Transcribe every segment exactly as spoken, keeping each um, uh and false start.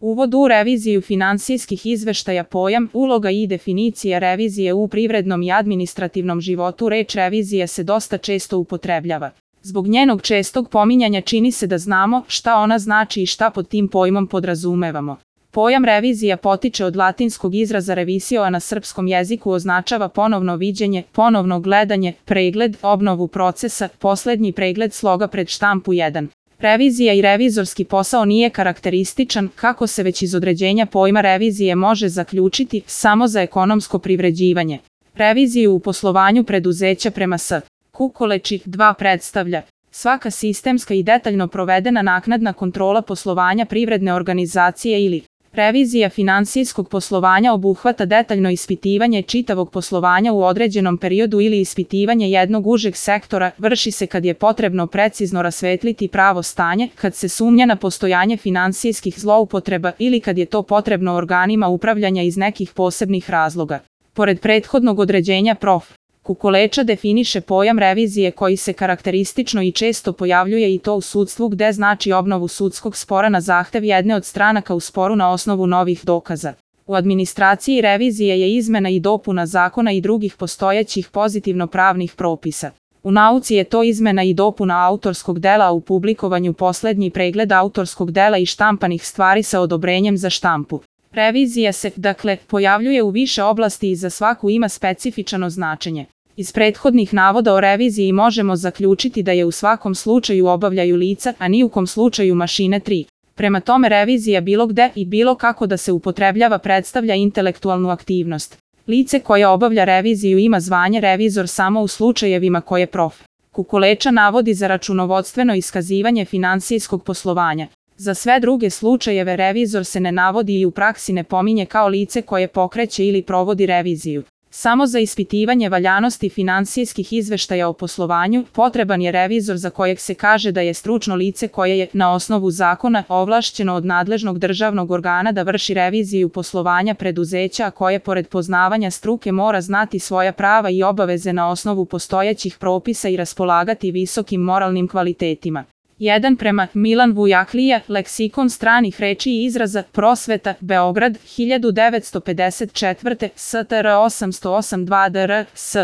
Uvod u reviziju finansijskih izveštaja. Pojam, uloga i definicija revizije u privrednom i administrativnom životu. Reč revizija se dosta često upotrebljava. Zbog njenog čestog pominjanja čini se da znamo šta ona znači i šta pod tim pojmom podrazumevamo. Pojam revizija potiče od latinskog izraza revisio, a na srpskom jeziku označava ponovno viđenje, ponovno gledanje, pregled, obnovu procesa, poslednji pregled sloga pred štampu jedan. Revizija i revizorski posao nije karakterističan, kako se već iz određenja pojma revizije može zaključiti, samo za ekonomsko privređivanje. Reviziju u poslovanju preduzeća prema S. Kukoleči dva predstavlja svaka sistemska i detaljno provedena naknadna kontrola poslovanja privredne organizacije ili revizija finansijskog poslovanja obuhvata detaljno ispitivanje čitavog poslovanja u određenom periodu ili ispitivanje jednog užeg sektora, vrši se kad je potrebno precizno rasvetliti pravo stanje, kad se sumnja na postojanje finansijskih zloupotreba ili kad je to potrebno organima upravljanja iz nekih posebnih razloga. Pored prethodnog određenja prof. Kukoleča definiše pojam revizije koji se karakteristično i često pojavljuje i to u sudstvu gde znači obnovu sudskog spora na zahtev jedne od stranaka u sporu na osnovu novih dokaza. U administraciji revizije je izmena i dopuna zakona i drugih postojećih pozitivno-pravnih propisa. U nauci je to izmena i dopuna autorskog dela, a u publikovanju poslednji pregled autorskog dela i štampanih stvari sa odobrenjem za štampu. Revizija se, dakle, pojavljuje u više oblasti i za svaku ima specifičano značenje. Iz prethodnih navoda o reviziji možemo zaključiti da je u svakom slučaju obavljaju lica, a ni u kom slučaju mašine tri. Prema tome revizija bilo gde i bilo kako da se upotrebljava predstavlja intelektualnu aktivnost. Lice koje obavlja reviziju ima zvanje revizor samo u slučajevima koje prof. Kukoleča navodi za računovodstveno iskazivanje finansijskog poslovanja. Za sve druge slučajeve revizor se ne navodi i u praksi ne pominje kao lice koje pokreće ili provodi reviziju. Samo za ispitivanje valjanosti finansijskih izveštaja o poslovanju potreban je revizor za kojeg se kaže da je stručno lice koje je, na osnovu zakona, ovlašćeno od nadležnog državnog organa da vrši reviziju poslovanja preduzeća, a koje pored poznavanja struke mora znati svoja prava i obaveze na osnovu postojećih propisa i raspolagati visokim moralnim kvalitetima. jedan Prema Milan Vujaklija, Leksikon stranih reči i izraza, Prosveta, Beograd, hiljadu devetsto pedeset četvrte. S T R osamsto osam dva D R S.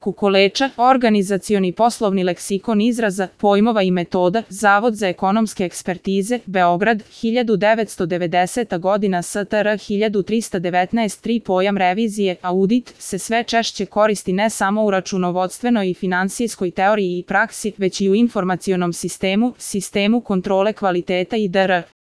Kukoleča, Organizacioni poslovni leksikon izraza, pojmova i metoda, Zavod za ekonomske ekspertize, Beograd, hiljadu devetsto devedeseta godina. S T R hiljadu trista devetnaest. tri Pojam revizije, audit, se sve češće koristi ne samo u računovodstvenoj i finansijskoj teoriji i praksi, već i u informacionom sistemu, sistemu kontrole kvaliteta i dr.